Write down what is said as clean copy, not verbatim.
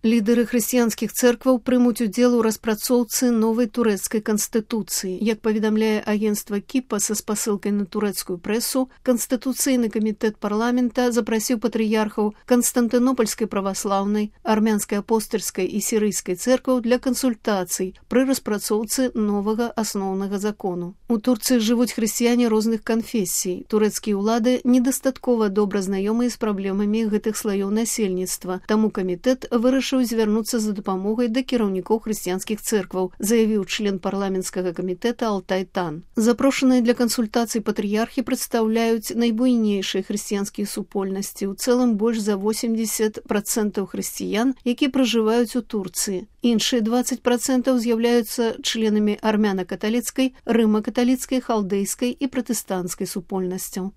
Лідары хрысціянскіх цэркваў прымуць удзел у распрацоўцы новай турэцкай канстытуцыі. Як паведамляе агенцтва Кіпа са спасылкай на турэцкую прэсу, Канстытуцыйны камітэт парламента запрасіў патрыярхаў Канстантынопольскай праваслаўнай, армянскай апостальскай і сірыйскай цэркваў для кансультацый пры распрацоўцы новага асноўнага закону. У Турцыі жывуць хрысціяне розных канфесій. Турэцкія ўлады недастаткова добра знаёмыя з праблемамі гэтых слаёў насельніцтва, таму камітэт вырашыў звярнуцца за дапамогай да кіраўнікоў хрысціянскіх цэркваў, заявіў член парламенцкага камітэта Алтай Тан. Запрошаныя для кансультацый патрыярхі прадстаўляюць найбуйнейшыя хрысціянскія супольнасці, у цэлым больш за 80% хрысціян, якія пражываюць у Турцыі. Іншыя 20% з'яўляюцца членамі армяна-каталіцкай, рыма-каталіцкай, халдэйскай і пратэстанцкай супольнасцяў.